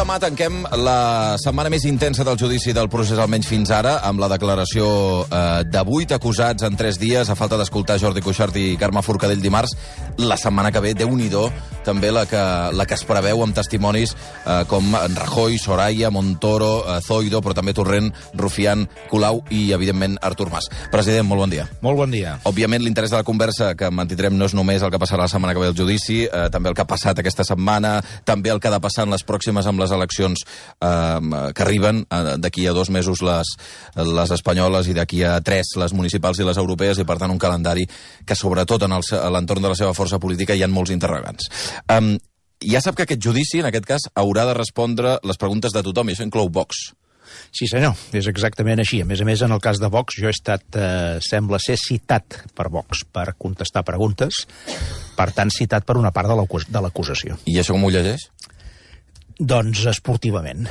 demà tanquem la setmana més intensa del judici del procés, almenys fins ara, amb la declaració de 8 acusats en 3 dies, a falta d'escoltar Jordi Cuixart i Carme Forcadell dimarts. La setmana que ve, Déu-n'hi-do, també la que es preveu amb testimonis com Rajoy, Soraya, Montoro, Zoido, però també Torrent, Rufián, Colau i, evidentment, Artur Mas. President, molt bon dia. Molt bon dia. Òbviament, l'interès de la conversa que mantindrem no és només el que passarà la setmana que ve al judici, també el que ha passat aquesta setmana, també el que ha de passar en les pròximes amb les eleccions que arriben, d'aquí a 2 mesos les espanyoles i d'aquí a 3 les municipals i les europees, i per tant un calendari que sobretot a l'entorn de la seva força política hi ha molts interrogants. Ja sap que aquest judici, en aquest cas, haurà de respondre les preguntes de tothom, i això inclou Vox. Sí, senyor, és exactament així. A més, en el cas de Vox, jo he estat, sembla ser, citat per Vox per contestar preguntes, per tant, citat per una part de l'acusació. I això com ho llegeix? Doncs esportivament.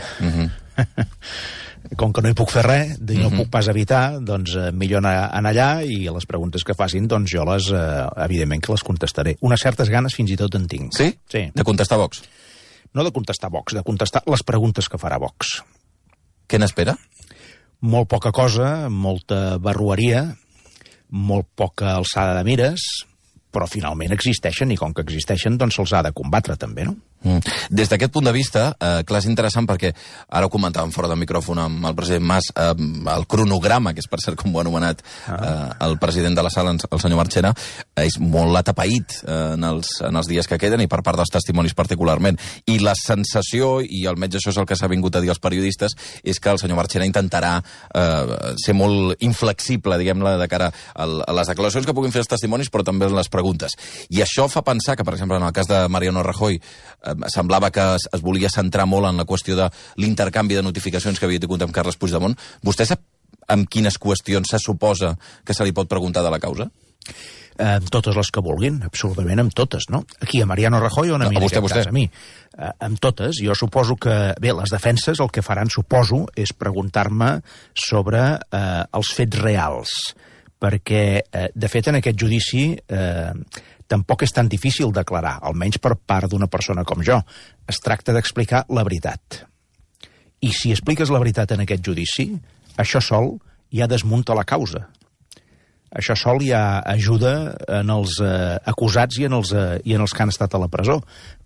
Com que no hi puc fer res, no puc pas evitar, doncs millor anar allà i les preguntes que facin, doncs jo evidentment que les contestaré. Unes certes ganes fins i tot en tinc. Sí? Sí. De contestar Vox? No de contestar Vox, de contestar les preguntes que farà Vox. Què n'espera? Molt poca cosa, molta barrueria, molt poca alçada de mires, però finalment existeixen, i com que existeixen, doncs se'ls ha de combatre també, no? Des d'aquest punt de vista, clar, és interessant perquè ara ho comentàvem fora del micròfon amb el president Mas, el cronograma, que és per cert com ho ha anomenat el president de la sala, el senyor Marchena, és molt atapeït en els dies que queden i per part dels testimonis particularment. I la sensació, i almenys això és el que s'ha vingut a dir als periodistes, és que el senyor Marchena intentarà ser molt inflexible, diguem-ne, de cara a les declaracions que puguin fer els testimonis, però també les preguntes. I això fa pensar que, per exemple, en el cas de Mariano Rajoy, semblava que es volia centrar molt en la qüestió de l'intercanvi de notificacions que havia tingut amb Carles Puigdemont. Vostè sap amb quines qüestions se suposa que se li pot preguntar de la causa? Totes les que vulguin, absolutament amb totes, no? Aquí, a Mariano Rajoy o a mi, en aquest cas, a mi? Amb totes. Jo suposo que, bé, les defenses el que faran, suposo, és preguntar-me sobre els fets reals, perquè, de fet, en aquest judici tampoc és tan difícil declarar, almenys per part d'una persona com jo. Es tracta d'explicar la veritat. I si expliques la veritat en aquest judici, això sol ja desmunta la causa. Això sol ja ajuda en els acusats i en els que han estat a la presó,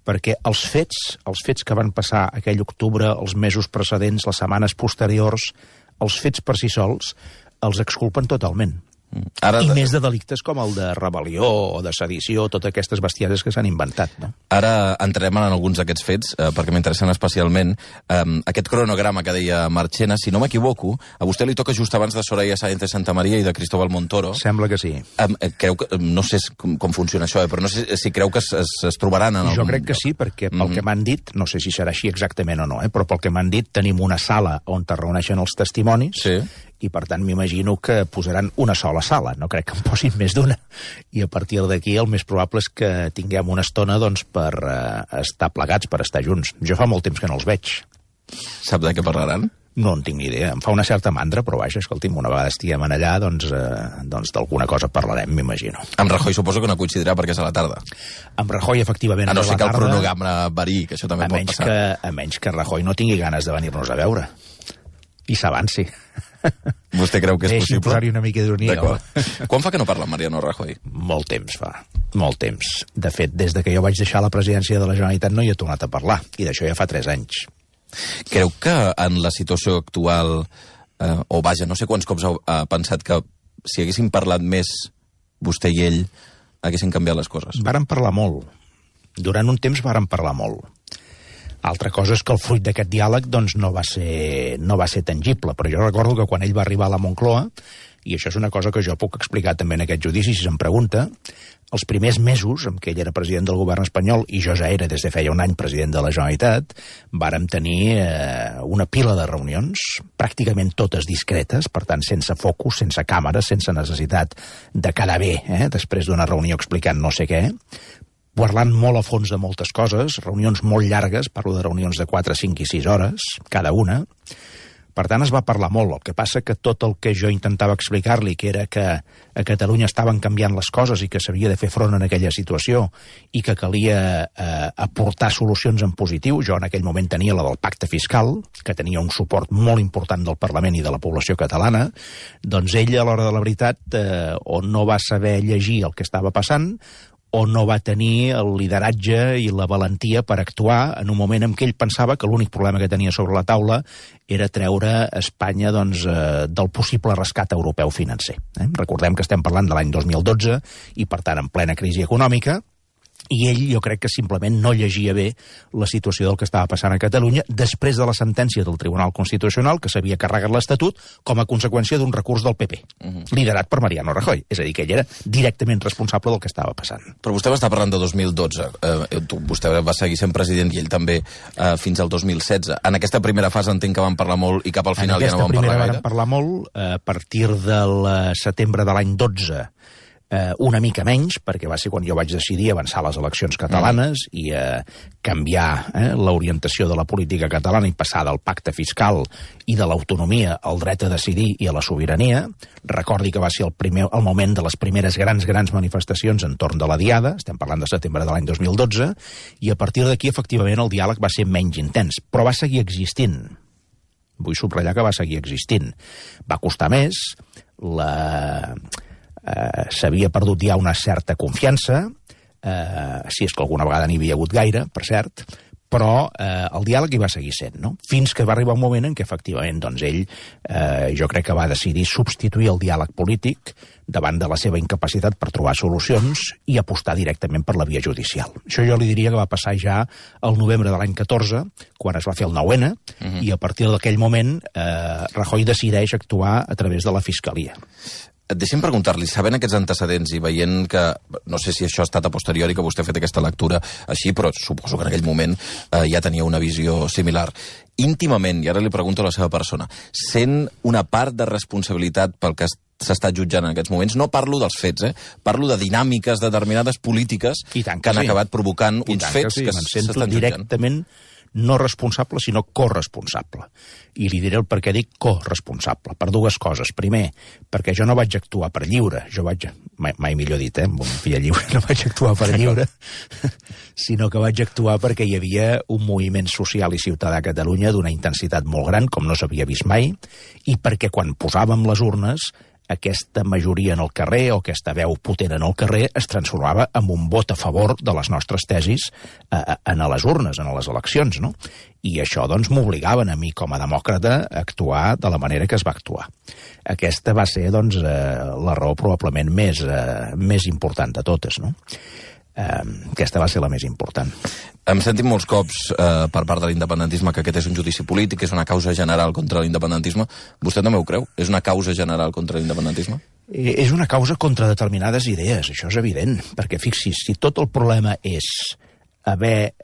perquè els fets que van passar aquell octubre, els mesos precedents, les setmanes posteriors, els fets per si sols, els exculpen totalment. I més de delictes com el de rebel·lió o de sedició, totes aquestes bestieses que s'han inventat, no? Ara entrem en alguns d'aquests fets, perquè m'interessen especialment. Aquest cronograma que deia Marchena, si no m'equivoco, a vostè li toca just abans de Soraya Sáenz de Santamaría i de Cristóbal Montoro. Sembla que sí. Creu que, no sé com funciona això, però no sé si creu que es trobaran en Jo crec que sí, perquè pel que m'han dit, no sé si serà així exactament o no, però pel que m'han dit tenim una sala on es reuneixen els testimonis, sí, i per tant m'imagino que posaran una sola sala, no crec que en posin més d'una, i a partir d'aquí el més probable és que tinguem una estona doncs, per estar plegats, per estar junts. Jo fa molt temps que no els veig. Sap de què parlaran? No en tinc ni idea, em fa una certa mandra, però vaja, escolti'm, una vegada estiguem allà, doncs d'alguna cosa parlarem, m'imagino. Amb Rajoy suposo que no coincidirà perquè és a la tarda. Amb Rajoy, efectivament, no sé que el cronograma varí, que això també pot passar. A menys que Rajoy no tingui ganes de venir-nos a veure. I s'avanci. Vostè creu que és possible? Deixi'm posar-hi una mica d'ironia. Quan fa que no parla amb Mariano Rajoy? Molt temps fa, molt temps. De fet, des de que jo vaig deixar la presidència de la Generalitat no hi he tornat a parlar, i d'això ja fa 3 anys. Creu que en la situació actual, o vaja, no sé quants cops ha pensat que si haguessin parlat més vostè i ell, haguessin canviat les coses? Varen parlar molt. Durant un temps varen parlar molt. Altra cosa és que el fruit d'aquest diàleg doncs, no va ser tangible, però jo recordo que quan ell va arribar a la Moncloa, i això és una cosa que jo puc explicar també en aquest judici, si se'm pregunta, els primers mesos en què ell era president del govern espanyol, i jo ja era des de feia un any president de la Generalitat, vàrem tenir una pila de reunions, pràcticament totes discretes, per tant sense focus, sense càmeres, sense necessitat de quedar bé, després d'una reunió explicant no sé què, parlant molt a fons de moltes coses, reunions molt llargues, parlo de reunions de 4, 5 i 6 hores, cada una, Per tant, es va parlar molt. El que passa que tot el que jo intentava explicar-li, que era que a Catalunya estaven canviant les coses i que s'havia de fer front en aquella situació i que calia aportar solucions en positiu, jo en aquell moment tenia la del pacte fiscal, que tenia un suport molt important del Parlament i de la població catalana, doncs ell, a l'hora de la veritat, o no va saber llegir el que estava passant, o no va tenir el lideratge i la valentia per actuar en un moment en què ell pensava que l'únic problema que tenia sobre la taula era treure Espanya del possible rescat europeu financer. Recordem que estem parlant de l'any 2012 i, per tant, en plena crisi econòmica, i ell jo crec que simplement no llegia bé la situació del que estava passant a Catalunya després de la sentència del Tribunal Constitucional que s'havia carregat l'Estatut com a conseqüència d'un recurs del PP, liderat per Mariano Rajoy. És a dir, que ell era directament responsable del que estava passant. Però vostè va estar parlant de 2012. Vostè va seguir sent president i ell també fins al 2016. En aquesta primera fase entenc que van parlar molt i cap al final ja no van parlar gaire. Van parlar molt a partir del setembre de l'any 12, una mica menys, perquè va ser quan jo vaig decidir avançar les eleccions catalanes i canviar l'orientació de la política catalana i passar del pacte fiscal i de l'autonomia al dret a decidir i a la sobirania. Recordi que va ser el moment de les primeres grans manifestacions entorn de la Diada, estem parlant de setembre de l'any 2012, i a partir d'aquí, efectivament, el diàleg va ser menys intens, però va seguir existint. Vull subratllar que va seguir existint. Va costar més, s'havia perdut ja una certa confiança, si és que alguna vegada n'hi havia hagut gaire, per cert, però el diàleg hi va seguir sent, no? Fins que va arribar un moment en què, efectivament, doncs ell, jo crec que va decidir substituir el diàleg polític davant de la seva incapacitat per trobar solucions i apostar directament per la via judicial. Això jo li diria que va passar ja al novembre de l'any 14, quan es va fer el 9-N, i a partir d'aquell moment Rajoy decideix actuar a través de la Fiscalia. Deixi'm preguntar-li, sabent aquests antecedents i veient que, no sé si això ha estat a posteriori que vostè ha fet aquesta lectura així, però suposo que en aquell moment ja tenia una visió similar. Íntimament, i ara li pregunto a la seva persona, sent una part de responsabilitat pel que s'està jutjant en aquests moments? No parlo dels fets, parlo de dinàmiques determinades polítiques que han acabat provocant uns fets que s'estan jutjant. Directament no responsable, sinó corresponsable. I li diré el per què dic corresponsable, per dues coses. Primer, perquè jo no vaig actuar per lliure, mai millor dit, amb una filla lliure, no vaig actuar per lliure, sinó que vaig actuar perquè hi havia un moviment social i ciutadà a Catalunya d'una intensitat molt gran, com no s'havia vist mai, i perquè quan posàvem les urnes, aquesta majoria en el carrer o aquesta veu potent en el carrer es transformava en un vot a favor de les nostres tesis en les urnes, en les eleccions, no? I això, doncs, m'obligaven a mi, com a demòcrata, a actuar de la manera que es va actuar. Aquesta va ser, doncs, la raó probablement més important de totes, no? Aquesta va ser la més important. Hem sentit molts cops per part de l'independentisme que aquest és un judici polític, que és una causa general contra l'independentisme. Vostè també ho creu? És una causa general contra l'independentisme? És una causa contra determinades idees, això és evident, perquè fixi's, si tot el problema és haver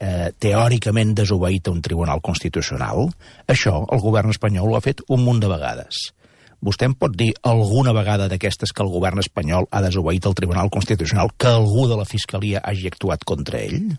teòricament desobeït a un tribunal constitucional, això el govern espanyol ho ha fet un munt de vegades. Vostè em pot dir alguna vegada d'aquestes que el govern espanyol ha desobeït el Tribunal Constitucional que algú de la Fiscalia hagi actuat contra ell?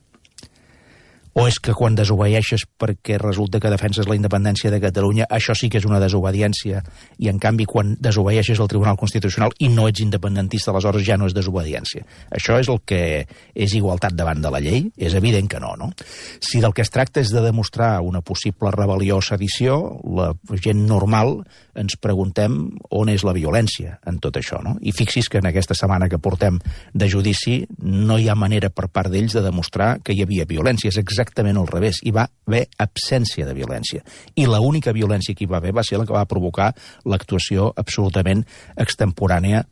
O és que quan desobeeixes perquè resulta que defenses la independència de Catalunya, això sí que és una desobediència, i en canvi quan desobeeixes el Tribunal Constitucional i no ets independentista, aleshores ja no és desobediència? Això és el que és igualtat davant de la llei? És evident que no, no? Si del que es tracta és de demostrar una possible rebel·lió o sedició, la gent normal ens preguntem on és la violència en tot això, no? I fixi's que en aquesta setmana que portem de judici no hi ha manera per part d'ells de demostrar que hi havia violència. És exactament al revés. Hi va haver absència de violència. I l'única violència que hi va haver va ser la que va provocar l'actuació absolutament extemporània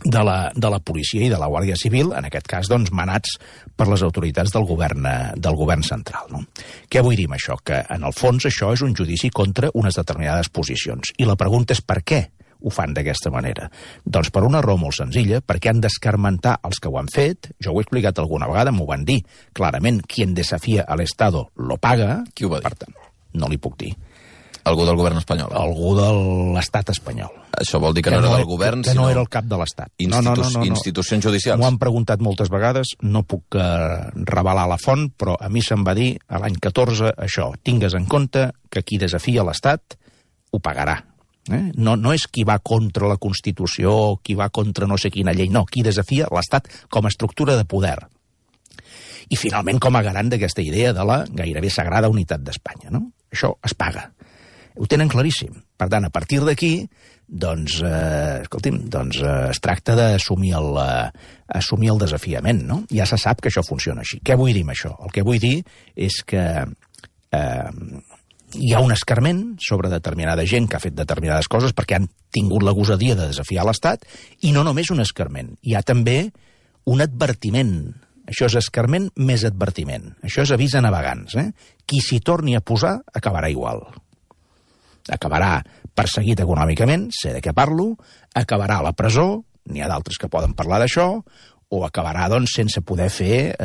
de la policia i de la Guàrdia Civil, en aquest cas, doncs, manats per les autoritats del govern central, no? Què vull dir amb això? Que, en el fons, això és un judici contra unes determinades posicions. I la pregunta és per què ho fan d'aquesta manera? Doncs per una raó molt senzilla, perquè han d'escarmentar els que ho han fet. Jo ho he explicat alguna vegada, m'ho van dir clarament, quien desafía al Estado lo paga. Qui ho va dir? Per tant, no li puc dir. Algú del govern espanyol? Algú de l'estat espanyol. Això vol dir que no era del govern, sinó... Que no era el cap de l'estat. Institucions judicials. M'ho han preguntat moltes vegades, no puc revelar la font, però a mi se'm va dir, a l'any 14, això, tingues en compte que qui desafia l'estat ho pagarà. No és qui va contra la Constitució, qui va contra no sé quina llei, no, qui desafia l'Estat com a estructura de poder. I finalment com a garant d'aquesta idea de la gairebé sagrada unitat d'Espanya, no? Això es paga. Ho tenen claríssim. Per tant, a partir d'aquí, doncs, es tracta d'assumir el desafiament, no? Ja se sap que això funciona així. Què vull dir amb això? El que vull dir és que hi ha un escarment sobre determinada gent que ha fet determinades coses perquè han tingut la gosadia de desafiar l'Estat, i no només un escarment, hi ha també un advertiment. Això és escarment més advertiment. Això és avís a navegants. Qui s'hi torni a posar acabarà igual. Acabarà perseguit econòmicament, sé de què parlo, acabarà a la presó, n'hi ha d'altres que poden parlar d'això, o acabarà, doncs, sense poder fer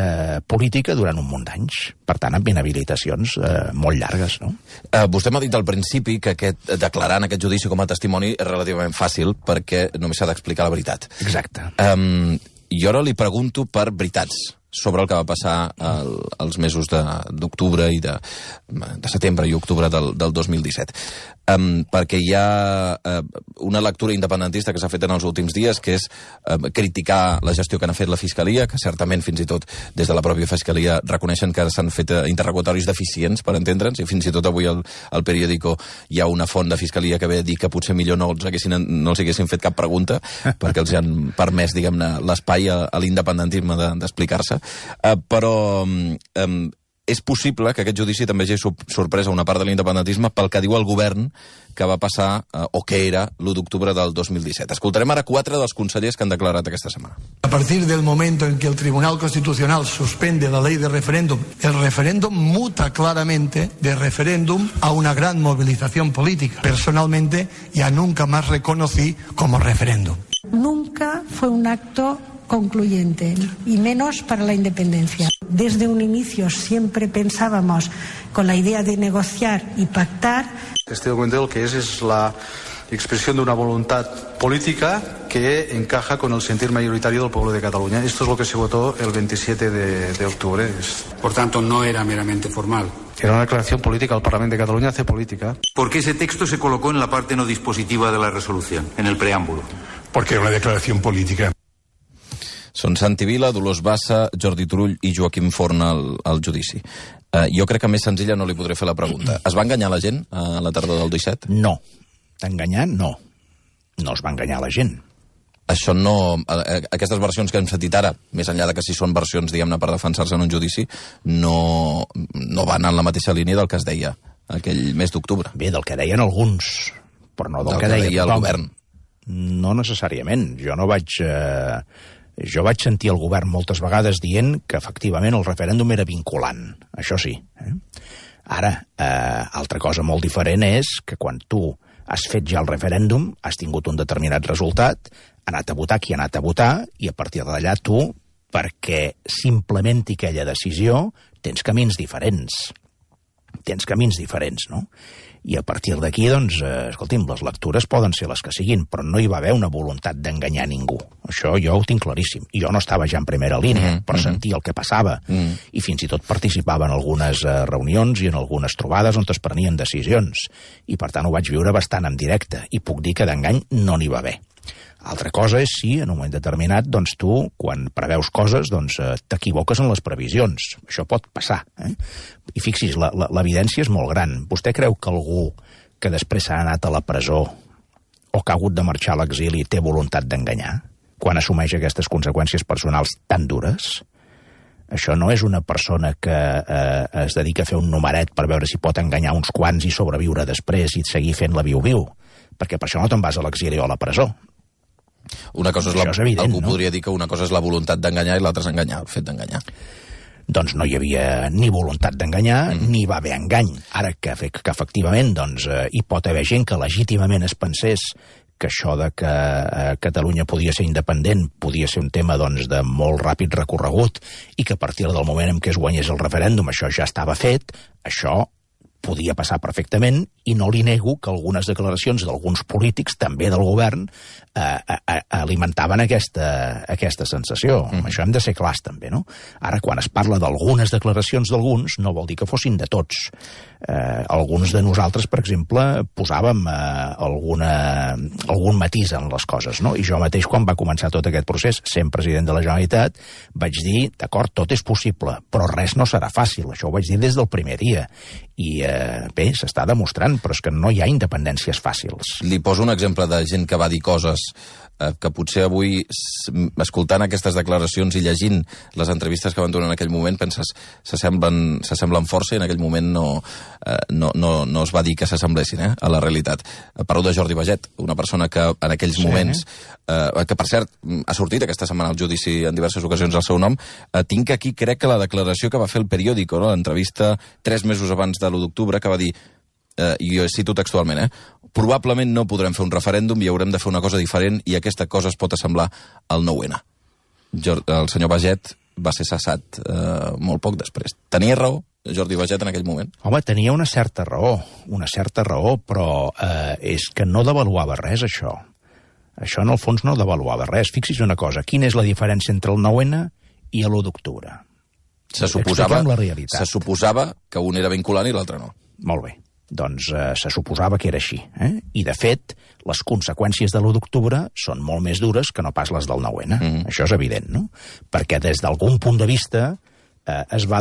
política durant un munt d'anys. Per tant, amb inhabilitacions molt llargues, no? Vostè m'ha dit al principi que declarar en aquest judici com a testimoni és relativament fàcil perquè només s'ha d'explicar la veritat. Exacte. Jo ara li pregunto per veritats sobre el que va passar als mesos d'octubre i de setembre i octubre del 2017. Perquè hi ha una lectura independentista que s'ha fet en els últims dies, que és criticar la gestió que n'ha fet la Fiscalia, que certament fins i tot des de la pròpia Fiscalia reconeixen que s'han fet interrogatoris deficients, per entendre'ns, i fins i tot avui al Periódico hi ha una font de Fiscalia que ve a dir que potser millor no els haguessin fet cap pregunta, perquè els han permès, diguem-ne, l'espai a l'independentisme d'explicar-se. Però és possible que aquest judici també hagi sorprès a una part de l'independentisme pel que diu el govern que va passar, o que era, l'1 d'octubre del 2017. Escoltarem ara 4 dels consellers que han declarat aquesta setmana. A partir del momento en que el Tribunal Constitucional suspende la ley de referéndum, el referéndum muta claramente de referéndum a una gran movilización política. Personalmente, ya nunca más reconocí como referéndum. Nunca fue un acto concluyente, y menos para la independencia. Desde un inicio siempre pensábamos con la idea de negociar y pactar. Este documento lo que es la expresión de una voluntad política que encaja con el sentir mayoritario del pueblo de Cataluña. Esto es lo que se votó el 27 de octubre. Por tanto, no era meramente formal. Era una declaración política. El Parlamento de Cataluña hace política. ¿Por qué ese texto se colocó en la parte no dispositiva de la resolución, en el preámbulo? Porque era una declaración política. Són Santi Vila, Dolors Bassa, Jordi Turull i Joaquim Forn al judici. Jo crec que més senzilla no li podré fer la pregunta. Es va enganyar la gent a la tardor del 17? No. Enganyar, no. No es va enganyar la gent. Això no... Aquestes versions que hem sentit ara, més enllà de que si són versions, diguem-ne, per defensar-se en un judici, no van en la mateixa línia del que es deia aquell mes d'octubre. Bé, del que deien alguns, però no del que deia el govern. No necessàriament. Jo vaig sentir el govern moltes vegades dient que efectivament el referèndum era vinculant, això sí. Ara, altra cosa molt diferent és que quan tu has fet ja el referèndum, has tingut un determinat resultat, ha anat a votar qui ha anat a votar, i a partir d'allà tu, perquè s'implementi aquella decisió, tens camins diferents. No? I a partir d'aquí, doncs, escolti'm, les lectures poden ser les que siguin, però no hi va haver una voluntat d'enganyar ningú. Això jo ho tinc claríssim. I jo no estava ja en primera línia, però sentia el que passava. I fins i tot participava en algunes reunions i en algunes trobades on es prenien decisions. I per tant ho vaig viure bastant en directe. I puc dir que d'engany no n'hi va haver. Altra cosa és si, en un moment determinat, doncs tu, quan preveus coses, doncs t'equivoques en les previsions. Això pot passar. I fixi's, l'evidència és molt gran. Vostè creu que algú que després s'ha anat a la presó o que ha hagut de marxar a l'exili té voluntat d'enganyar quan assumeix aquestes conseqüències personals tan dures? Això no és una persona que es dedica a fer un numeret per veure si pot enganyar uns quants i sobreviure després i seguir fent la viu-viu, perquè per això no te'n vas a l'exili o a la presó. Una cosa és evident, algú podria dir que una cosa és la voluntat d'enganyar i l'altra és enganyar, el fet d'enganyar. Doncs no hi havia ni voluntat d'enganyar, ni va haver engany. Ara que efectivament hi pot haver gent que legítimament es pensés que això de que Catalunya podia ser independent podia ser un tema de molt ràpid recorregut i que a partir del moment en què es guanyés el referèndum això ja estava fet, això podia passar perfectament, i no li nego que algunes declaracions d'alguns polítics, també del govern, alimentaven aquesta sensació. Això hem de ser clars, també, no? Ara, quan es parla d'algunes declaracions d'alguns, no vol dir que fossin de tots. Alguns de nosaltres, per exemple, posàvem algun matís en les coses, no? I jo mateix, quan va començar tot aquest procés, sent president de la Generalitat, vaig dir, d'acord, tot és possible, però res no serà fàcil. Això ho vaig dir des del primer dia. I bé, s'està demostrant, però és que no hi ha independències fàcils. Li poso un exemple de gent que va dir coses que potser avui, escoltant aquestes declaracions i llegint les entrevistes que van donar en aquell moment, penses, s'assemblen força, i en aquell moment no es va dir que s'assemblessin a la realitat. Parlo de Jordi Baget, una persona que en aquells moments, que per cert ha sortit aquesta setmana al judici en diverses ocasions al seu nom, tinc aquí, crec que la declaració que va fer el periòdico, l'entrevista 3 mesos abans de l'1 d'octubre, que va dir, i jo cito textualment, probablement no podrem fer un referèndum i haurem de fer una cosa diferent, i aquesta cosa es pot assemblar al 9-N. El senyor Baget va ser cessat molt poc després. Tenia raó Jordi Baget en aquell moment? Home, tenia una certa raó, però és que no devaluava res, això. Això, en el fons, no devaluava res. Fixi's una cosa, quina és la diferència entre el 9-N i l'1 d'octubre? Se suposava que un era vinculant i l'altre no. Molt bé. Doncs se suposava que era així. I, de fet, les conseqüències de l'1 d'octubre són molt més dures que no pas les del 9-N. Això és evident, no? Perquè des d'algun punt de vista es va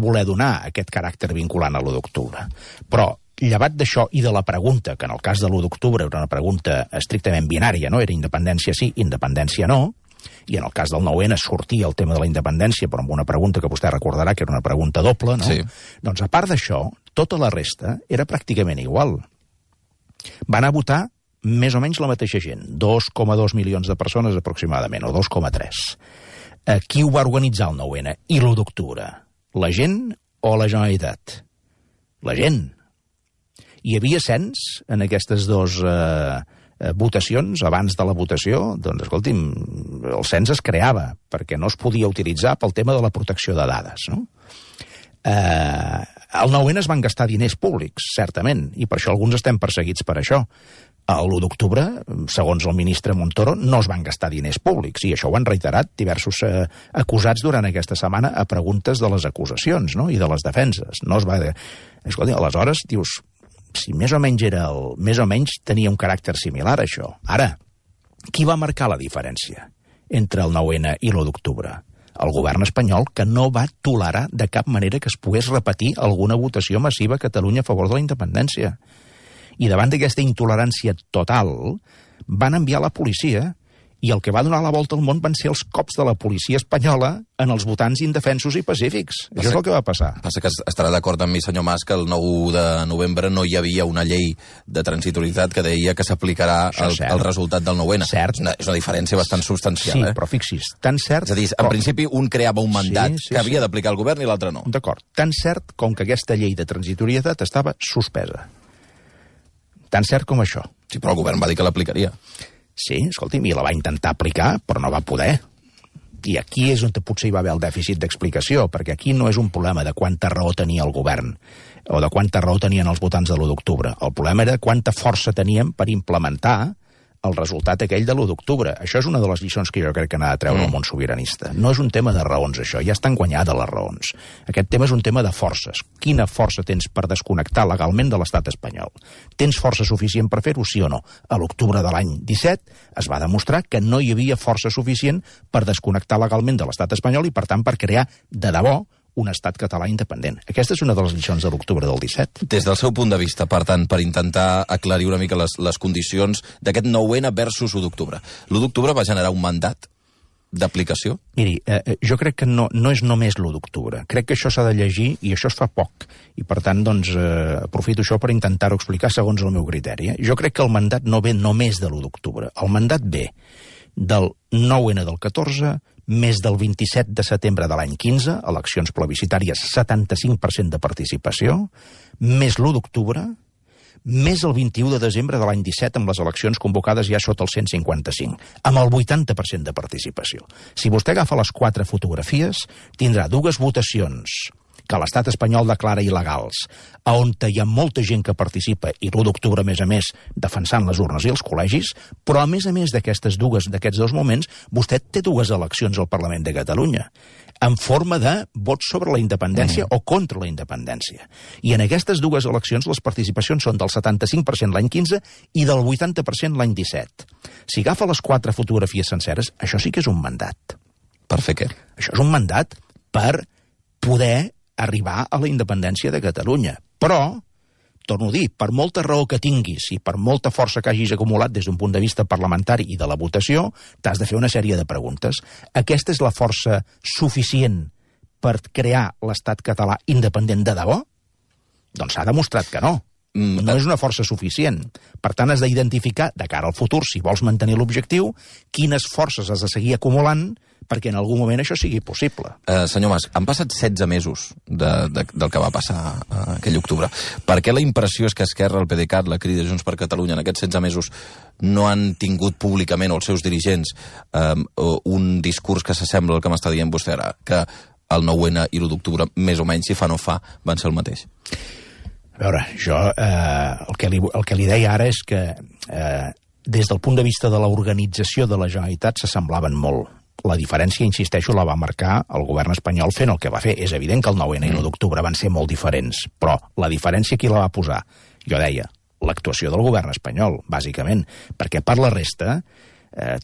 voler donar aquest caràcter vinculant a l'1 d'octubre. Però, llevat d'això i de la pregunta, que en el cas de l'1 d'octubre era una pregunta estrictament binària, no? Era independència sí, independència no, i en el cas del 9-N sortia el tema de la independència, però amb una pregunta que vostè recordarà que era una pregunta doble, no? Sí. Doncs, a part d'això, tota la resta era pràcticament igual. Va anar a votar més o menys la mateixa gent, 2,2 milions de persones aproximadament, o 2,3. Qui ho va organitzar el 9-N i l'1 d'octubre? La gent o la Generalitat? La gent. Hi havia cens en aquestes dues votacions, abans de la votació? Doncs, escolti'm, el cens es creava, perquè no es podia utilitzar pel tema de la protecció de dades, no? Al 9-N es van gastar diners públics, certament, i per això alguns estem perseguits per això. A l'1 d'octubre, segons el ministre Montoro, no es van gastar diners públics, i això ho han reiterat diversos acusats durant aquesta setmana a preguntes de les acusacions, no? I de les defenses. No es va... Escolta, aleshores, dius, si més o menys tenia un caràcter similar, això. Ara, qui va marcar la diferència entre el 9-N i l'1 d'octubre? El govern espanyol, que no va tolerar de cap manera que es pogués repetir alguna votació massiva a Catalunya a favor de la independència. I davant d'aquesta intolerància total, van enviar la policia, i el que va donar la volta al món van ser els cops de la policia espanyola en els votants indefensos i pacífics. Això és el que va passar. Passa que estarà d'acord amb mi, senyor Mas, que el 9 de novembre no hi havia una llei de transitorietat que deia que s'aplicarà el resultat del 9-N. Cert. És una diferència bastant substancial. Sí, però fixis, tan cert... És a dir, en principi un creava un mandat que havia d'aplicar el govern i l'altre no. D'acord. Tan cert com que aquesta llei de transitorietat estava suspesa. Tan cert com això. Sí, però el govern va dir que l'aplicaria. Sí, escolti'm, i la va intentar aplicar, però no va poder. I aquí és on potser hi va haver el dèficit d'explicació, perquè aquí no és un problema de quanta raó tenia el govern o de quanta raó tenien els votants de l'1 d'octubre. El problema era quanta força teníem per implementar el resultat aquell de l'1 d'octubre. Això és una de les lliçons que jo crec que n'ha de treure el món sobiranista. No és un tema de raons, això. Ja estan guanyades les raons. Aquest tema és un tema de forces. Quina força tens per desconnectar legalment de l'estat espanyol? Tens força suficient per fer-ho, sí o no? A l'octubre de l'any 17 es va demostrar que no hi havia força suficient per desconnectar legalment de l'estat espanyol i, per tant, per crear de debò un estat català independent. Aquesta és una de les lliçons de l'octubre del 17. Des del seu punt de vista, per tant, per intentar aclarir una mica les condicions d'aquest 9-N versus 1 d'octubre. L'1 d'octubre va generar un mandat d'aplicació? Miri, jo crec que no és només l'1 d'octubre. Crec que això s'ha de llegir, i això es fa poc. I, per tant, doncs, aprofito això per intentar-ho explicar segons el meu criteri. Jo crec que el mandat no ve només de l'1 d'octubre. El mandat ve del 9-N del 14, més del 27 de setembre de l'any 15, eleccions plebiscitàries, 75% de participació, més l'1 d'octubre, més el 21 de desembre de l'any 17 amb les eleccions convocades ja sota el 155, amb el 80% de participació. Si vostè agafa les 4 fotografies, tindrà 2 votacions que l'estat espanyol declara il·legals, on hi ha molta gent que participa, i l'1 d'octubre, a més, defensant les urnes i els col·legis, però a més d'aquests dos moments, vostè té dues eleccions al Parlament de Catalunya, en forma de vots sobre la independència o contra la independència. I en aquestes dues eleccions les participacions són del 75% l'any 15 i del 80% l'any 17. Si agafa les 4 fotografies senceres, això sí que és un mandat. Per fer què? Això és un mandat per poder arribar a la independència de Catalunya. Però, torno a dir, per molta raó que tinguis i per molta força que hagis acumulat des d'un punt de vista parlamentari i de la votació, t'has de fer una sèrie de preguntes. Aquesta és la força suficient per crear l'estat català independent de debò? Doncs s'ha demostrat que no. No és una força suficient. Per tant, has d'identificar, de cara al futur, si vols mantenir l'objectiu, quines forces has de seguir acumulant perquè en algun moment això sigui possible. Senyor Mas, han passat 16 mesos del que va passar aquell octubre. Per què la impressió és que Esquerra, el PDeCAT, la Crida Junts per Catalunya, en aquests 16 mesos no han tingut públicament, o els seus dirigents, un discurs que s'assembla al que m'està dient vostè ara, que el 9-N i l'1 d'octubre, més o menys, si fa no fa, van ser el mateix? A veure, jo el que li deia ara és que des del punt de vista de l'organització de la Generalitat s'assemblaven molt. La diferència, insisteixo, la va marcar el govern espanyol fent el que va fer. És evident que el 9-N i l'1 d'octubre van ser molt diferents, però la diferència qui la va posar? Jo deia, l'actuació del govern espanyol, bàsicament, perquè per la resta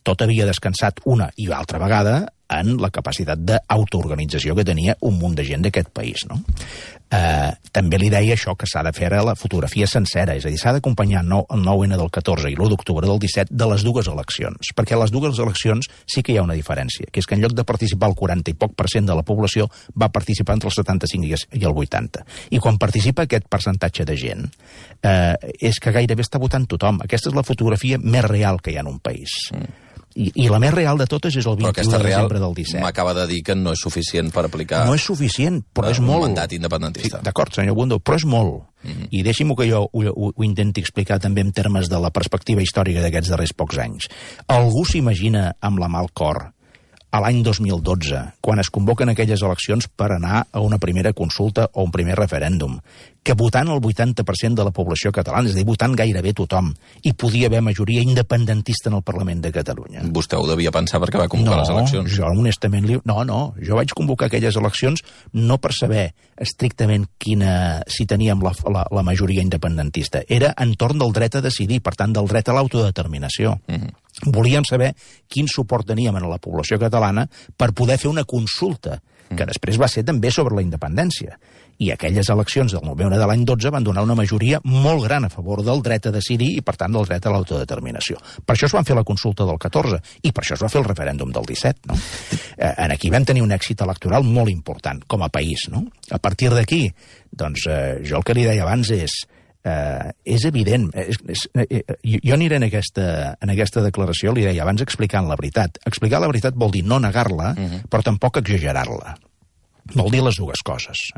tot havia descansat una i altra vegada en la capacitat d'autoorganització que tenia un munt de gent d'aquest país, no? També li deia això, que s'ha de fer la fotografia sencera, és a dir, s'ha d'acompanyar el 9-N del 14 i l'1 d'octubre del 17 de les dues eleccions, perquè a les dues eleccions sí que hi ha una diferència, que és que en lloc de participar el 40 i poc % de la població, va participar entre el 75 i el 80. I quan participa aquest percentatge de gent, és que gairebé està votant tothom. Aquesta és la fotografia més real que hi ha en un país. I la més real de totes és el 21 de desembre del 17. M'acaba de dir que no és suficient per aplicar... No és suficient, però és molt. Un mandat independentista. Sí, d'acord, senyor Bundó, però és molt. I deixi-m'ho que jo ho intenti explicar també en termes de la perspectiva històrica d'aquests darrers pocs anys. Algú s'imagina amb la mà al cor a l'any 2012, quan es convoquen aquelles eleccions per anar a una primera consulta o un primer referèndum, que votant el 80% de la població catalana, és a dir, votant gairebé tothom, hi podia haver majoria independentista en el Parlament de Catalunya. Vostè ho devia pensar perquè va convocar les eleccions. Jo honestament... Jo vaig convocar aquelles eleccions no per saber estrictament si teníem la majoria independentista. Era entorn del dret a decidir, per tant, del dret a l'autodeterminació. Volíem saber quin suport teníem a la població catalana per poder fer una consulta, que després va ser també sobre la independència. I aquelles eleccions del novembre de l'any 12 van donar una majoria molt gran a favor del dret a decidir i, per tant, del dret a l'autodeterminació. Per això es van fer la consulta del 14 i per això es va fer el referèndum del 17. No? Aquí vam tenir un èxit electoral molt important com a país. No? A partir d'aquí, doncs, jo el que li deia abans és evident. Jo aniré en aquesta declaració, li deia abans, explicant la veritat. Explicar la veritat vol dir no negar-la, però tampoc exagerar-la. Vol dir les dues coses.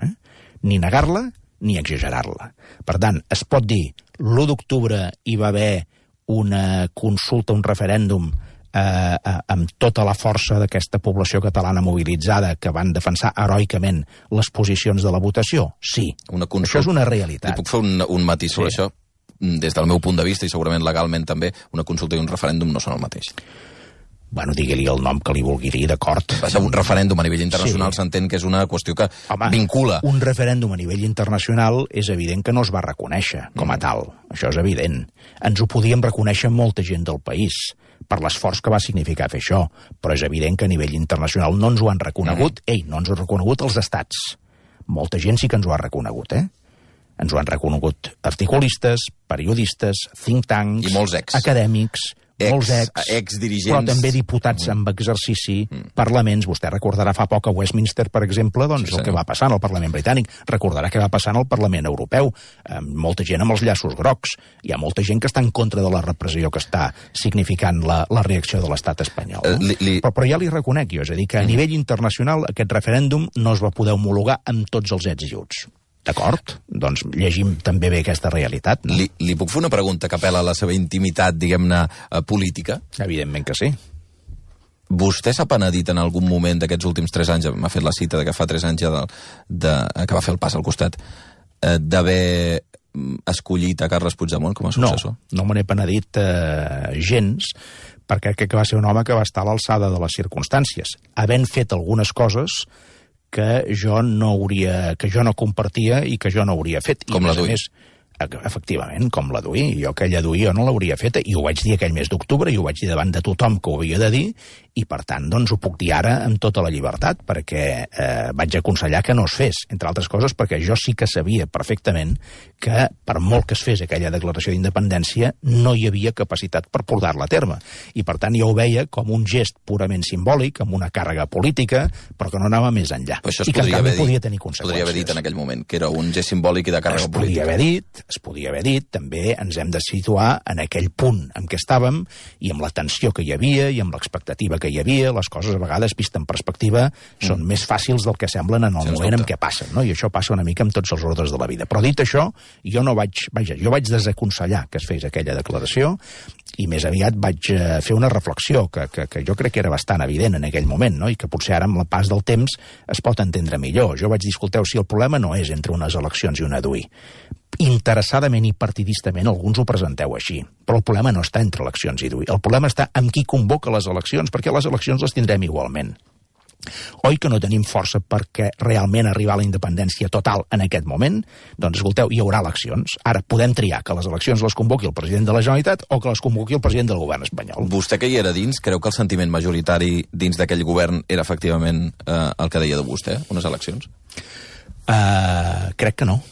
Ni negar-la ni exagerar-la. Per tant, es pot dir l'1 d'octubre hi va haver una consulta, un referèndum amb tota la força d'aquesta població catalana mobilitzada que van defensar heroicament les posicions de la votació? Sí. Això és una realitat. Li puc fer un matís sobre això? Des del meu punt de vista, i segurament legalment també, una consulta i un referèndum no són el mateix. Bueno, digui-li el nom que li vulgui dir, d'acord. Un referèndum a nivell internacional s'entén que és una qüestió que vincula. Un referèndum a nivell internacional és evident que no es va reconèixer com a tal. Això és evident. Ens ho podíem reconèixer molta gent del país per l'esforç que va significar fer això, però és evident que a nivell internacional no ens ho han reconegut. No ens ho han reconegut els estats. Molta gent sí que ens ho ha reconegut, Ens ho han reconegut articulistes, periodistes, think tanks, i molts acadèmics, molts exdirigents, però també diputats amb exercici, parlaments. Vostè recordarà fa poc a Westminster, per exemple, el que va passar en el Parlament britànic. Recordarà què va passar en el Parlament europeu. Molta gent amb els llaços grocs. Hi ha molta gent que està en contra de la repressió que està significant la reacció de l'estat espanyol. Però ja li reconec jo, és a dir, que a nivell internacional aquest referèndum no es va poder homologar amb tots els ets i uts. D'acord? Doncs llegim també bé aquesta realitat. No? Li puc fer una pregunta que apel·la a la seva intimitat, diguem-ne, política? Evidentment que sí. Vostè s'ha penedit en algun moment d'aquests últims 3 anys, m'ha fet la cita que fa 3 anys que va fer el pas al costat, d'haver escollit a Carles Puigdemont com a successor? No me n'he penedit gens, perquè crec que va ser un home que va estar a l'alçada de les circumstàncies, havent fet algunes coses que jo no compartia i que jo no hauria fet. Com la Dui. Efectivament, com la Dui. Jo aquella Dui jo no l'hauria feta, i ho vaig dir aquell mes d'octubre, i ho vaig dir davant de tothom que ho havia de dir, i per tant, doncs, ho puc dir ara amb tota la llibertat, perquè vaig aconsellar que no es fes, entre altres coses perquè jo sí que sabia perfectament que, per molt que es fes aquella declaració d'independència, no hi havia capacitat per portar-la a terme. I per tant, jo ho veia com un gest purament simbòlic, amb una càrrega política, però que no anava més enllà. I que, en canvi, podia tenir conseqüències. Podria haver dit en aquell moment que era un gest simbòlic i de càrrega política. Es podia haver dit, també ens hem de situar en aquell punt en què estàvem, i amb la tensió que hi havia, i amb l'expectativa que hi havia, les coses a vegades, vist en perspectiva, són més fàcils del que semblen en el moment en què passen, no? I això passa una mica amb tots els ordres de la vida. Però dit això, jo vaig desaconsellar que es fes aquella declaració, i més aviat vaig fer una reflexió que jo crec que era bastant evident en aquell moment, no? I que potser ara amb el pas del temps es pot entendre millor. Jo vaig dir, escolteu, si el problema no és entre unes eleccions i una Dui, interessadament i partidistament alguns ho presenteu així, però el problema no està entre eleccions i Dui, el problema està amb qui convoca les eleccions, perquè les eleccions les tindrem igualment. Oi que no tenim força perquè realment arribar a la independència total en aquest moment? Doncs escolteu, hi haurà eleccions. Ara podem triar que les eleccions les convoqui el president de la Generalitat o que les convoqui el president del govern espanyol. Vostè que hi era dins, creu que el sentiment majoritari dins d'aquell govern era efectivament el que deia de vostè, unes eleccions? Crec que no.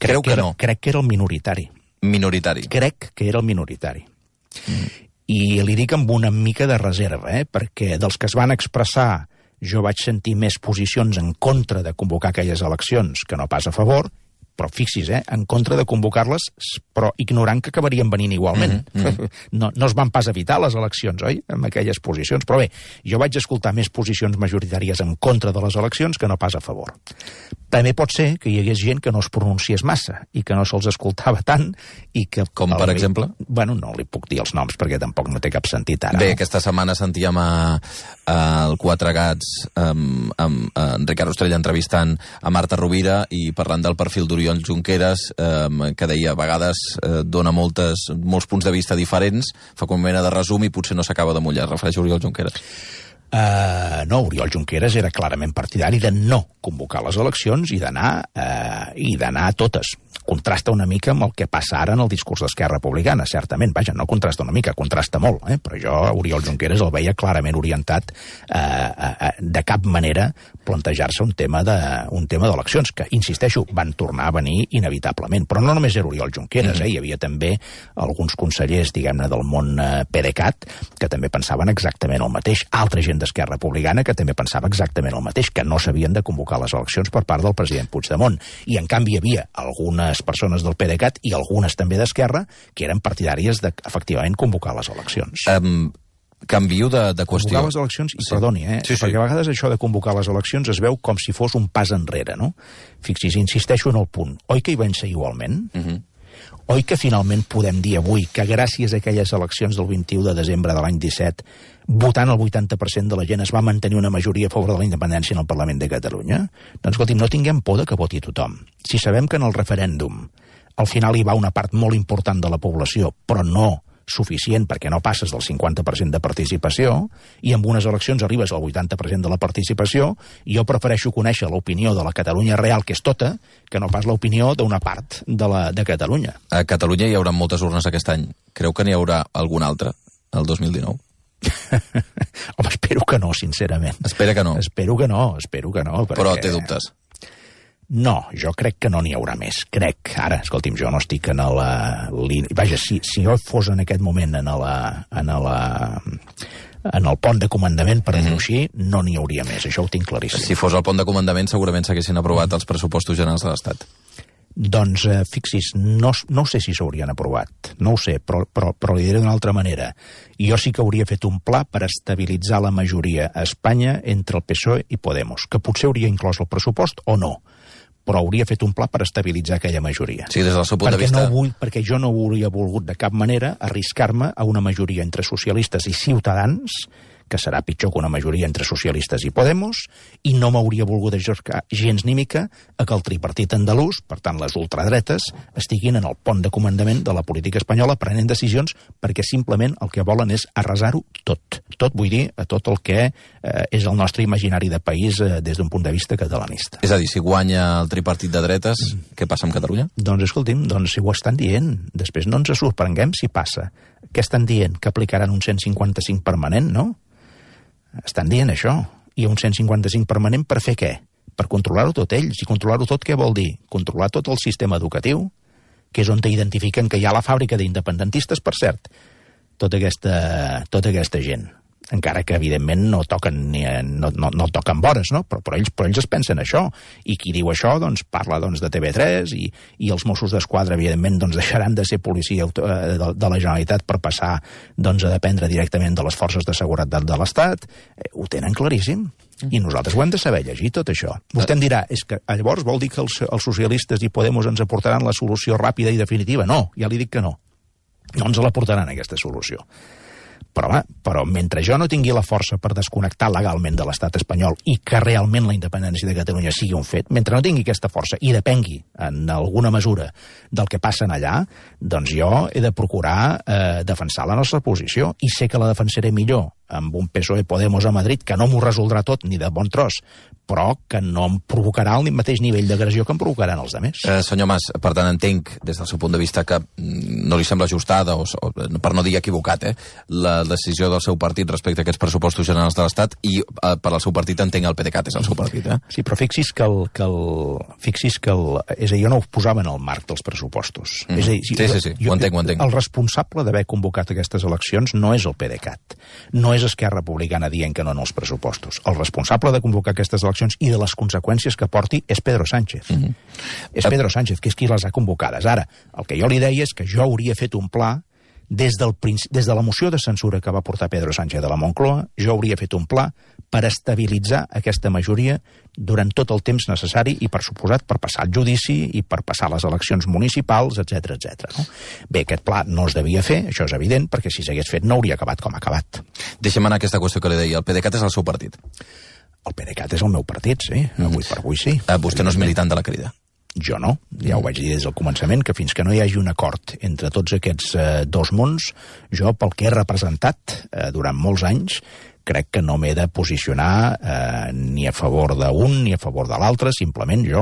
Crec que era el minoritari. Minoritari? Crec que era el minoritari. I li dic amb una mica de reserva, perquè dels que es van expressar jo vaig sentir més posicions en contra de convocar aquelles eleccions que no pas a favor, però fixi's, en contra de convocar-les, però ignorant que acabarien venint igualment. No es van pas evitar les eleccions, oi?, amb aquelles posicions. Però bé, jo vaig escoltar més posicions majoritàries en contra de les eleccions que no pas a favor. També pot ser que hi hagués gent que no es pronunciés massa i que no se'ls escoltava tant i que... Com, per exemple? Bueno, no li puc dir els noms perquè tampoc no té cap sentit ara. Bé, aquesta setmana sentíem el Quatre Gats amb Ricard Ostrell entrevistant a Marta Rovira i parlant del perfil d'Oriol Junqueras, que deia a vegades dona molts punts de vista diferents, fa com una mena de resum i potser no s'acaba de mullar. Es refereix a Oriol Junqueras? No, Oriol Junqueras era clarament partidari de no convocar les eleccions i d'anar a totes. Contrasta una mica amb el que passa ara en el discurs d'Esquerra Republicana, certament. Vaja, no contrasta una mica, contrasta molt, però jo, Oriol Junqueras, el veia clarament orientat de cap manera plantejar-se un tema d'eleccions, que, insisteixo, van tornar a venir inevitablement. Però no només era Oriol Junqueras, hi havia també alguns consellers, diguem-ne, del món PDeCAT, que també pensaven exactament el mateix. Altra gent d'Esquerra Republicana que també pensava exactament el mateix, que no s'havien de convocar les eleccions per part del president Puigdemont. I, en canvi, hi havia algunes persones del PDeCAT i algunes també d'Esquerra que eren partidàries de, efectivament, convocar les eleccions. Canvio de qüestió. Convocar les eleccions, i perdoni, perquè a vegades això de convocar les eleccions es veu com si fos un pas enrere, no? Fixis, insisteixo en el punt. Oi que hi van ser igualment? Oi que finalment podem dir avui que gràcies a aquelles eleccions del 21 de desembre de l'any 17, votant el 80% de la gent, es va mantenir una majoria a favor de la independència en el Parlament de Catalunya? Doncs, escolti'm, no tinguem por de que voti tothom. Si sabem que en el referèndum al final hi va una part molt important de la població, però no suficient perquè no passes del 50% de participació, i amb unes eleccions arribes al 80% de la participació, i jo prefereixo conèixer l'opinió de la Catalunya real, que és tota, que no pas l'opinió d'una part de Catalunya. A Catalunya hi haurà moltes urnes aquest any. Creu que n'hi haurà alguna altra el 2019? Home, espero que no, sincerament. Espera que no? Espero que no. Perquè... Però té dubtes? No, jo crec que no n'hi haurà més. Crec, ara, escolti'm, jo no estic en la línia... Vaja, si jo fos en aquest moment en el pont de comandament, per dir-ho així, no n'hi hauria més. Això ho tinc claríssim. Si fos el pont de comandament, segurament s'haguessin aprovat els pressupostos generals de l'Estat. Doncs, fixis, no sé si s'haurien aprovat. No ho sé, però li diré d'una altra manera. Jo sí que hauria fet un pla per estabilitzar la majoria a Espanya entre el PSOE i Podemos, que potser hauria inclòs el pressupost o no, però hauria fet un pla per estabilitzar aquella majoria. Sí, des del seu punt de vista... Perquè jo no hauria volgut de cap manera arriscar-me a una majoria entre socialistes i ciutadans que serà pitjor que una majoria entre socialistes i Podemos, i no m'hauria volgut ajorcar gens ni mica a que el tripartit andalús, per tant les ultradretes, estiguin en el pont de comandament de la política espanyola prenent decisions perquè simplement el que volen és arrasar-ho tot. Tot, vull dir, a tot el que és el nostre imaginari de país des d'un punt de vista catalanista. És a dir, si guanya el tripartit de dretes, què passa amb Catalunya? Doncs escolti'm, si ho estan dient, després no ens sorprenguem si passa. Què estan dient? Que aplicaran un 155 permanent, no? Estan dient això. I un 155 permanent per fer què? Per controlar-ho tot ells. I controlar-ho tot què vol dir? Controlar tot el sistema educatiu, que és on identifiquen que hi ha la fàbrica d'independentistes, per cert. Tota aquesta gent. Encara que, evidentment, no toquen vores, no? Però ells es pensen això. I qui diu això, doncs, parla de TV3 i els Mossos d'Esquadra, evidentment, deixaran de ser policia de la Generalitat per passar a dependre directament de les forces de seguretat de l'Estat. Ho tenen claríssim. I nosaltres ho hem de saber llegir, tot això. Vostè em dirà, és que llavors vol dir que els socialistes i Podemos ens aportaran la solució ràpida i definitiva? No, ja li dic que no. No ens la portaran, aquesta solució. Però mentre jo no tingui la força per desconnectar legalment de l'estat espanyol i que realment la independència de Catalunya sigui un fet, mentre no tingui aquesta força i depengui en alguna mesura del que passa allà, doncs jo he de procurar defensar la nostra posició i sé que la defensaré millor amb un PSOE-Podemos a Madrid que no m'ho resoldrà tot ni de bon tros, però que no em provocarà el mateix nivell d'agressió que em provocaran els altres. Senyor Mas, per tant, entenc, des del seu punt de vista, que no li sembla ajustada, o per no dir equivocat, la decisió del seu partit respecte a aquests pressupostos generals de l'Estat, i per al seu partit entenc el PDeCAT és el seu partit, Sí, però fixi's que és a dir, jo no ho posava en el marc dels pressupostos. És a dir, sí, ho entenc. El responsable d'haver convocat aquestes eleccions no és el PDeCAT, no és Esquerra Republicana dient que no en els pressupostos. El responsable de convocar aquestes eleccions i de les conseqüències que porti és Pedro Sánchez. És Pedro Sánchez, que és qui les ha convocades. Ara, el que jo li deia és que jo hauria fet un pla des de la moció de censura que va portar Pedro Sánchez de la Moncloa, jo hauria fet un pla per estabilitzar aquesta majoria durant tot el temps necessari i, per suposat, per passar el judici i per passar les eleccions municipals, etc. No? Bé, aquest pla no es devia fer, això és evident, perquè si s'hagués fet no hauria acabat com ha acabat. Deixem anar aquesta qüestió que li deia. El PDeCAT és el seu partit? El PDeCAT és el meu partit, sí. Avui per avui sí. Vostè no és militant de la Crida? Jo no, ja ho vaig dir des del començament, que fins que no hi hagi un acord entre tots aquests dos mons, jo, pel que he representat durant molts anys, crec que no m'he de posicionar ni a favor d'un ni a favor de l'altre, simplement jo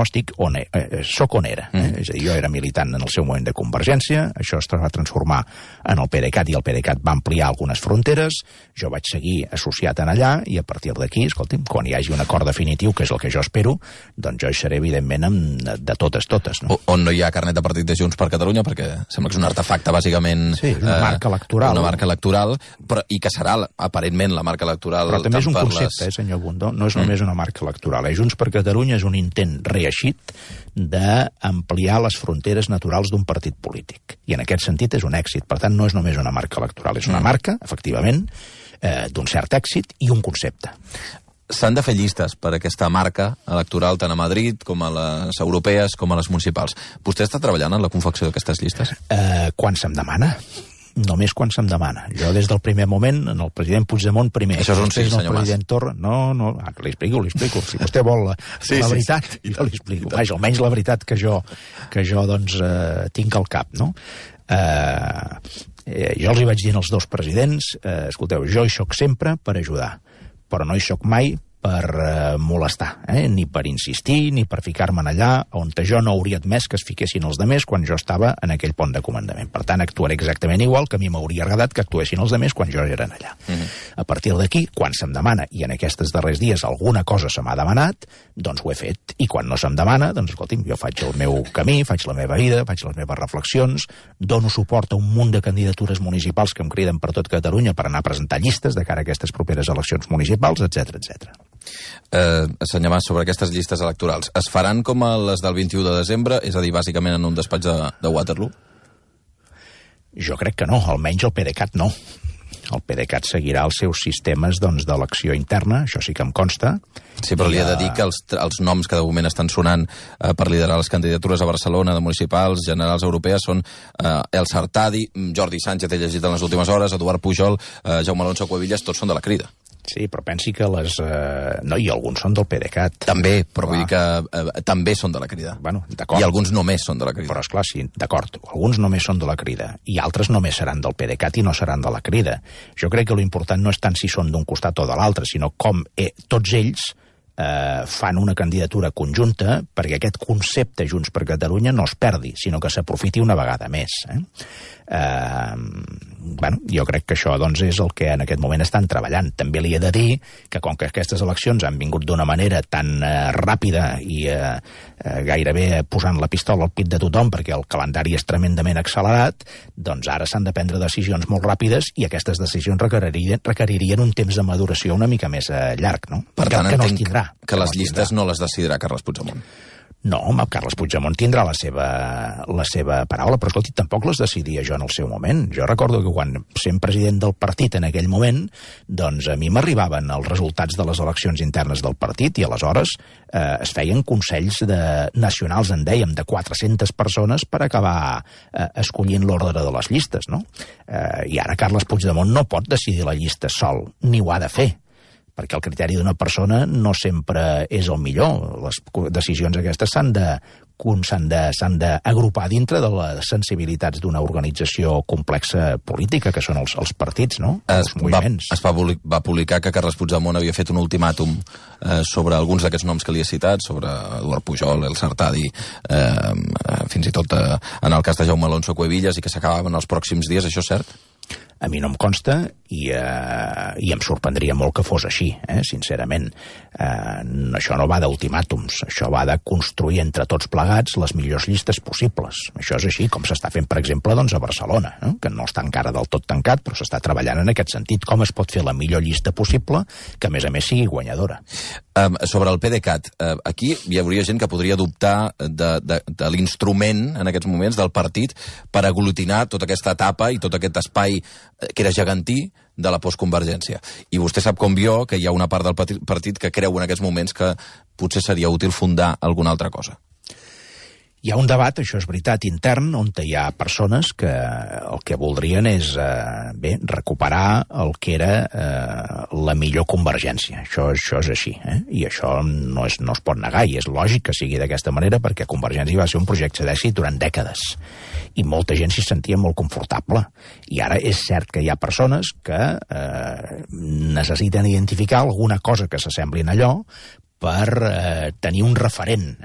soc on era. És a dir, jo era militant en el seu moment de Convergència, això es va transformar en el PDeCAT i el PDeCAT va ampliar algunes fronteres, jo vaig seguir associat en allà i a partir d'aquí, escolti'm, quan hi hagi un acord definitiu, que és el que jo espero, doncs jo hi seré evidentment de totes. No? On no hi ha carnet de partit de Junts per Catalunya, perquè sembla que és un artefacte bàsicament... Sí, una marca electoral. Una marca electoral, i que serà aparentment la marca electoral... Però també és un concepte, senyor Bundó, no és només una marca electoral. Junts per Catalunya és un intent reeixit d'ampliar les fronteres naturals d'un partit polític. I en aquest sentit és un èxit. Per tant, no és només una marca electoral, és una marca, efectivament, d'un cert èxit i un concepte. S'han de fer llistes per aquesta marca electoral tant a Madrid com a les europees com a les municipals. Vostè està treballant en la confecció d'aquestes llistes? Quan se'm demana. Només quan se'm demana. Jo des del primer moment, en el president Puigdemont primer. Això és un sí, senyor Mas. Torra, no, li explico. Si vostè vol la veritat, jo li explico. Vaja, almenys la veritat que jo doncs, tinc al cap, no? Jo els hi vaig dir als dos presidents, escolteu, jo hi soc sempre per ajudar, però no hi soc mai per molestar, ni per insistir, ni per ficar-me allà on jo no hauria admès que es fiquessin els demés quan jo estava en aquell pont de comandament. Per tant, actuaré exactament igual que a mi m'hauria agradat que actuessin els demés quan jo era allà. A partir d'aquí, quan se'm demana, i en aquests darrers dies alguna cosa se m'ha demanat, doncs ho he fet. I quan no se'm demana, doncs escolti'm, jo faig el meu camí, faig la meva vida, faig les meves reflexions, dono suport a un munt de candidatures municipals que em criden per tot Catalunya per anar a presentar llistes de cara a aquestes properes eleccions municipals, etc. Senyor Mas, sobre aquestes llistes electorals, es faran com les del 21 de desembre, és a dir, bàsicament en un despatx de Waterloo? Jo crec que no, almenys el PDeCAT no. El PDeCAT seguirà els seus sistemes d'elecció interna, això sí que em consta. Sí, però li he de dir que els noms que de moment estan sonant per liderar les candidatures a Barcelona de municipals, generals europees, són El Sartadi, Jordi Sánchez, he llegit en les últimes hores, Eduard Pujol, Jaume Alonso Cuevillas, tots són de la Crida. Sí, però pensi que les... No, i alguns són del PDeCAT. També, però vull dir que també són de la Crida. Bueno, d'acord. I alguns només són de la Crida. Però, esclar, sí, d'acord, alguns només són de la Crida, i altres només seran del PDeCAT i no seran de la Crida. Jo crec que l'important no és tant si són d'un costat o de l'altre, sinó com tots ells fan una candidatura conjunta perquè aquest concepte Junts per Catalunya no es perdi, sinó que s'aprofiti una vegada més. Jo crec que això doncs, és el que en aquest moment estan treballant. També li he de dir que com que aquestes eleccions han vingut d'una manera tan ràpida i gairebé posant la pistola al pit de tothom perquè el calendari és tremendament accelerat, doncs ara s'han de prendre decisions molt ràpides i aquestes decisions requeririen un temps de maduració una mica més llarg, no? Per tant, que no es tindrà. Que les llistes no les decidirà Carles Puigdemont. No, home, Carles Puigdemont tindrà la seva paraula, però escolti, tampoc les decidia jo en el seu moment. Jo recordo que quan sent president del partit en aquell moment, doncs a mi m'arribaven els resultats de les eleccions internes del partit i aleshores es feien consells nacionals, en dèiem, de 400 persones per acabar escollint l'ordre de les llistes, no? I ara Carles Puigdemont no pot decidir la llista sol, ni ho ha de fer, perquè el criteri d'una persona no sempre és el millor. Les decisions aquestes s'han d'agrupar dintre de les sensibilitats d'una organització complexa política, que són els partits, no? Els moviments. Es va publicar que Carles Puigdemont havia fet un ultimàtum sobre alguns d'aquests noms que li he citat, sobre Eduard Pujol, el Sartadi, fins i tot en el cas de Jaume Alonso Cuevillas, i que s'acabaven els pròxims dies. Això és cert? A mi no em consta i em sorprendria molt que fos així, sincerament. Això no va d'ultimàtums, això va de construir entre tots plegats les millors llistes possibles. Això és així, com s'està fent, per exemple, doncs, a Barcelona, que no està encara del tot tancat, però s'està treballant en aquest sentit. Com es pot fer la millor llista possible, que a més sigui guanyadora. Sobre el PDeCAT, aquí hi hauria gent que podria dubtar de l'instrument, en aquests moments, del partit per aglutinar tota aquesta etapa i tot aquest espai que era gegantí de la postconvergència. I vostè sap com jo que hi ha una part del partit que creu en aquests moments que potser seria útil fundar alguna altra cosa. Hi ha un debat, això és veritat, intern, on hi ha persones que el que voldrien és recuperar el que era la millor convergència. Això és així, i això no es pot negar, i és lògic que sigui d'aquesta manera, perquè Convergència va ser un projecte d'èxit durant dècades, i molta gent s'hi sentia molt confortable. I ara és cert que hi ha persones que necessiten identificar alguna cosa que s'assembli a allò per tenir un referent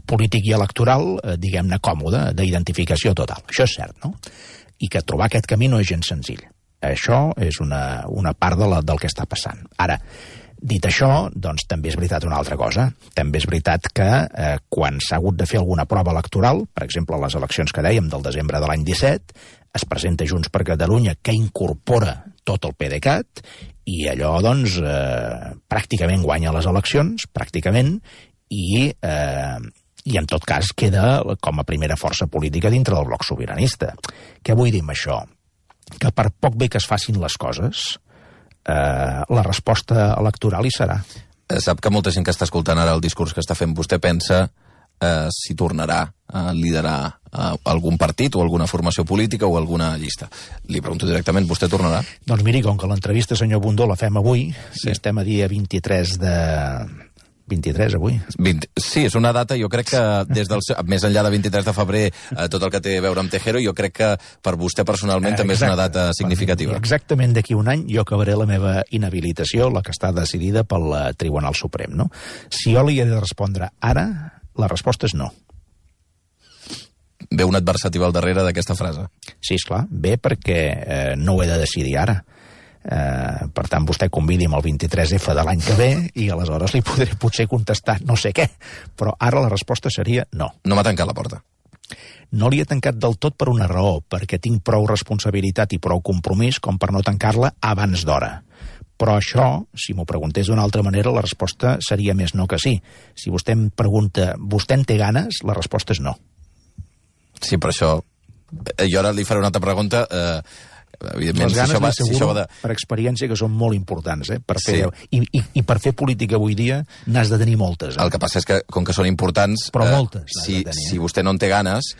polític i electoral, diguem-ne, còmode, d'identificació total. Això és cert, no? I que trobar aquest camí no és gens senzill. Això és una part del que està passant. Ara, dit això, doncs també és veritat una altra cosa. També és veritat que quan s'ha hagut de fer alguna prova electoral, per exemple, les eleccions que dèiem del desembre de l'any 17, es presenta Junts per Catalunya, que incorpora tot el PDeCAT, i allò, doncs, pràcticament guanya les eleccions, pràcticament, i en tot cas queda com a primera força política dintre del bloc sobiranista. Què vull dir amb això? Que per poc bé que es facin les coses, la resposta electoral hi serà. Sap que molta gent que està escoltant ara el discurs que està fent vostè pensa si tornarà a liderar algun partit o alguna formació política o alguna llista. Li pregunto directament, vostè tornarà? Doncs miri, com que l'entrevista, senyor Bundó, la fem avui, sí. Estem a dia 23 de... 23 avui? Sí, és una data, jo crec que des del més enllà de 23 de febrer, tot el que té a veure amb Tejero, jo crec que per vostè personalment també és una data significativa. Exactament d'aquí un any jo acabaré la meva inhabilitació, la que està decidida pel Tribunal Suprem, no? Si jo li he de respondre ara, la resposta és no. Ve un adversatiu al darrere d'aquesta frase. Sí, esclar, ve perquè no ho he de decidir ara. Per tant, vostè convidi'm el 23F de l'any que ve i aleshores li podré potser contestar no sé què, però ara la resposta seria no. No m'ha tancat la porta. No li he tancat del tot per una raó, perquè tinc prou responsabilitat i prou compromís com per no tancar-la abans d'hora. Però això, si m'ho preguntés d'una altra manera, la resposta seria més no que sí. Si vostè em pregunta, vostè en té ganes? La resposta és no. Sí, però això... Jo ara li faré una altra pregunta... Evidentment, les ganes, m'asseguro, per experiència, que són molt importants. Per fer, sí. I per fer política avui dia n'has de tenir moltes. El que passa és que, com que són importants... Però moltes. Si vostè no en té ganes,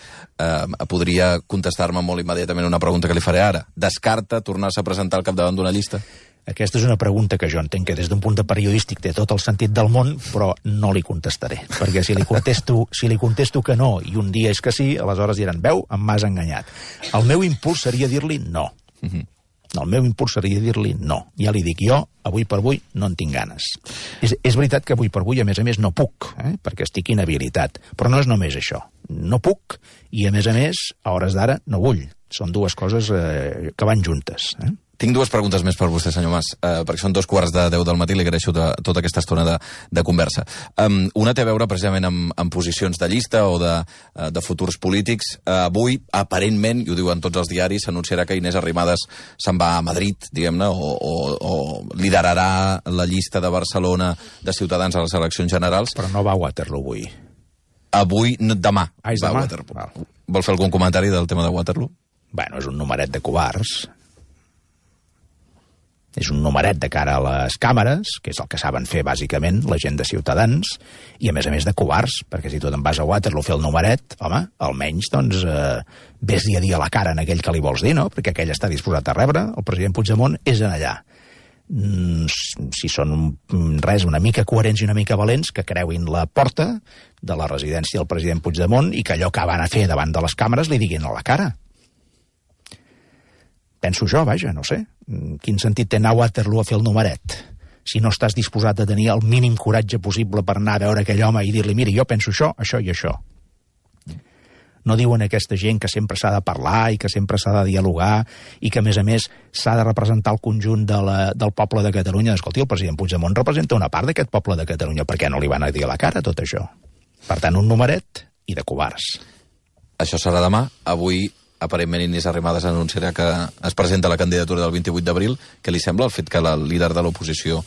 podria contestar-me molt immediatament una pregunta que li faré ara. Descarta tornar-se a presentar al capdavant d'una llista? Aquesta és una pregunta que jo entenc que des d'un punt de periodístic té tot el sentit del món, però no li contestaré, perquè si li contesto que no i un dia és que sí, aleshores diran, veu, em m'has enganyat. El meu impuls seria dir-li no. El meu impuls seria dir-li no. Ja li dic jo, avui per avui no en tinc ganes. És veritat que avui per avui, a més, no puc, perquè estic inhabilitat, però no és només això. No puc i, a més, a hores d'ara no vull. Són dues coses que van juntes. Tinc dues preguntes més per vostè, senyor Mas, perquè són 2:15 del matí, li agraeixo tota aquesta estona de conversa. Una té a veure precisament amb posicions de llista o de futurs polítics. Avui, aparentment, i ho diuen tots els diaris, s'anunciarà que Inés Arrimadas se'n va a Madrid, diguem-ne, o liderarà la llista de Barcelona de Ciutadans a les eleccions generals. Però no va a Waterloo avui. Avui, demà. És va demà? A Waterloo. Vol fer algun comentari del tema de Waterloo? Bueno, és un numeret de covards. És un numeret de cara a les càmeres, que és el que saben fer, bàsicament, la gent de Ciutadans, i, a més de covards, perquè si tu te'n vas a Waterloo a fer el numeret, home, almenys, doncs, ves-hi a dir a la cara en aquell que li vols dir, no? Perquè aquell està disposat a rebre, el president Puigdemont és en allà. Si són una mica coherents i una mica valents, que creuin la porta de la residència del president Puigdemont i que allò que van a fer davant de les càmeres li diguin a la cara. Penso jo, vaja, no sé. Quin sentit té anar a Waterloo a fer el numeret? Si no estàs disposat a tenir el mínim coratge possible per anar a veure aquell home i dir-li, mira, jo penso això, això i això. No diuen aquesta gent que sempre s'ha de parlar i que sempre s'ha de dialogar i que, a més, s'ha de representar el conjunt del poble de Catalunya. Escolti, el president Puigdemont representa una part d'aquest poble de Catalunya. Per què no li van a dir a la cara tot això? Per tant, un numeret i de covards. Això serà demà. Avui, aparentment, Inés Arrimadas anunciarà que es presenta la candidatura del 28 d'abril. Què li sembla el fet que el líder de l'oposició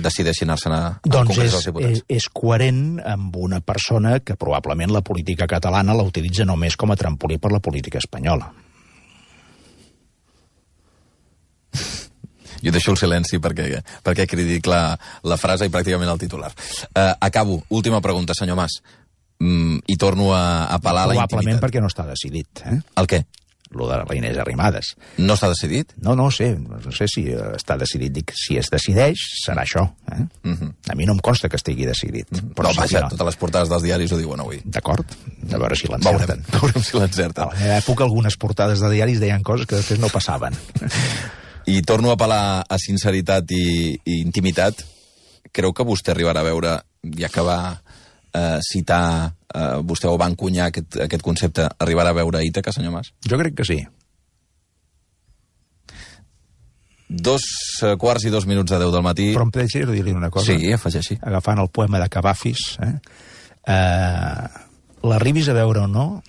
decideixi anar-se'n al Congrés dels Diputats? És coherent amb una persona que probablement la política catalana la utilitza només com a trampolí per la política espanyola. Jo deixo el silenci perquè critico la frase i pràcticament el titular. Acabo. Última pregunta, senyor Mas. I torno a apel·lar a la intimitat. Probablement perquè no està decidit. El què? Lo de la Inés Arrimadas. No està decidit? No sé si està decidit. Dic, si es decideix, serà això. A mi no em consta que estigui decidit. Però vaja, totes les portades dels diaris ho diuen avui. D'acord, a veure si l'encerten. Veurem si l'encerten. A la meva època algunes portades de diaris deien coses que després no passaven. I torno a apel·lar a sinceritat i intimitat. Creu que vostè arribarà a veure, ja que va citar, vostè o va encunyar aquest concepte, arribarà a veure Ítaca, senyor Mas? Jo crec que sí. 2:02 del matí. Però em deixa dir-li una cosa. Sí, afegeixi. Agafant el poema de Cavafis, l'arribis a veure o no,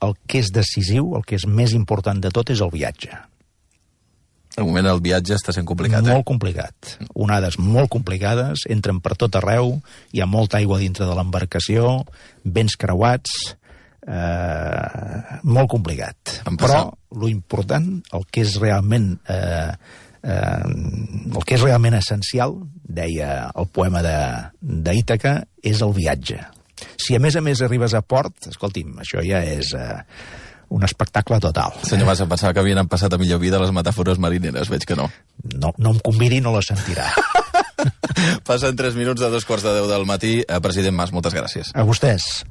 el que és decisiu, el que és més important de tot és el viatge. De moment el viatge està sent complicat. Molt complicat. Onades molt complicades, entren per tot arreu, hi ha molta aigua dintre de l'embarcació, vents creuats, molt complicat. Però lo important, el que és realment essencial, deia el poema d'Ítaca, és el viatge. Si a més arribes a port, escolti'm, això ja és un espectacle total. Senyor Mas, em pensava que havien passat a millor vida les metàfores marineres, veig que no. No em convidi, no la sentirà. Passen 3 minuts de 2:15 del matí. President Mas, moltes gràcies. A vostès.